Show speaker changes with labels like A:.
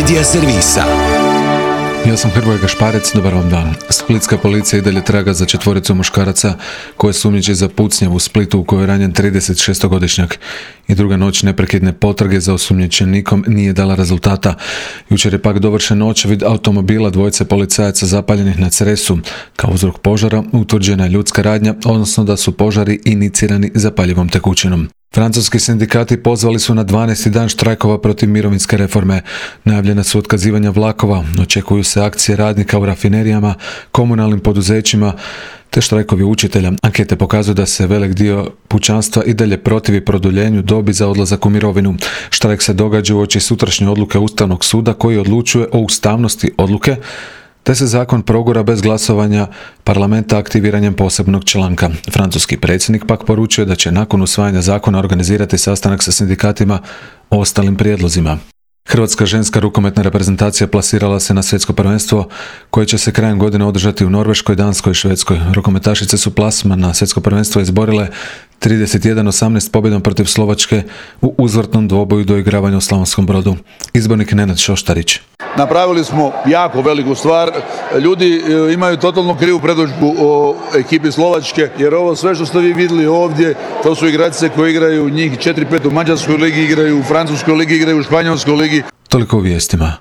A: Medija servisa.
B: Ja sam Hrvoje Gašparec, dobar vam dan. Splitska policija i dalje traga za četvoricu muškaraca koje sumnjiči za pucnjavu u Splitu u kojoj je ranjen 36-godišnjak. I druga noć neprekidne potrage za osumnjičenikom nije dala rezultata. Jučer je pak dovršen očevid automobila dvojice policajaca zapaljenih na Cresu. Kao uzrok požara utvrđena je ljudska radnja, odnosno da su požari inicirani zapaljivom tekućinom. Francuski sindikati pozvali su na 12. dan štrajkova protiv mirovinske reforme. Najavljena su otkazivanja vlakova, očekuju se akcije radnika u rafinerijama, komunalnim poduzećima te štrajkovi učitelja. Ankete pokazuju da se velik dio pučanstva i dalje protivi produljenju dobi za odlazak u mirovinu. Štrajk se događa uoči sutrašnje odluke Ustavnog suda koji odlučuje o ustavnosti odluke, te se zakon progura bez glasovanja parlamenta aktiviranjem posebnog članka. Francuski predsjednik pak poručuje da će nakon usvajanja zakona organizirati sastanak sa sindikatima o ostalim prijedlozima. Hrvatska ženska rukometna reprezentacija plasirala se na svjetsko prvenstvo koje će se krajem godine održati u Norveškoj, Danskoj i Švedskoj. Rukometašice su plasman na svjetsko prvenstvo izborile 31-18 pobjedom protiv Slovačke u uzvratnom dvoboju do igravanja u Slavonskom Brodu. Izbornik Nenad Šoštarić.
C: Napravili smo jako veliku stvar. Ljudi imaju totalno krivu predodžbu o ekipi Slovačke, jer ovo sve što ste vi vidjeli ovdje, to su igračice koji igraju njih 4-5 u Mađarskoj ligi, igraju u Francuskoj ligi, igraju u Španjolskoj ligi.
B: Toliko u vijestima.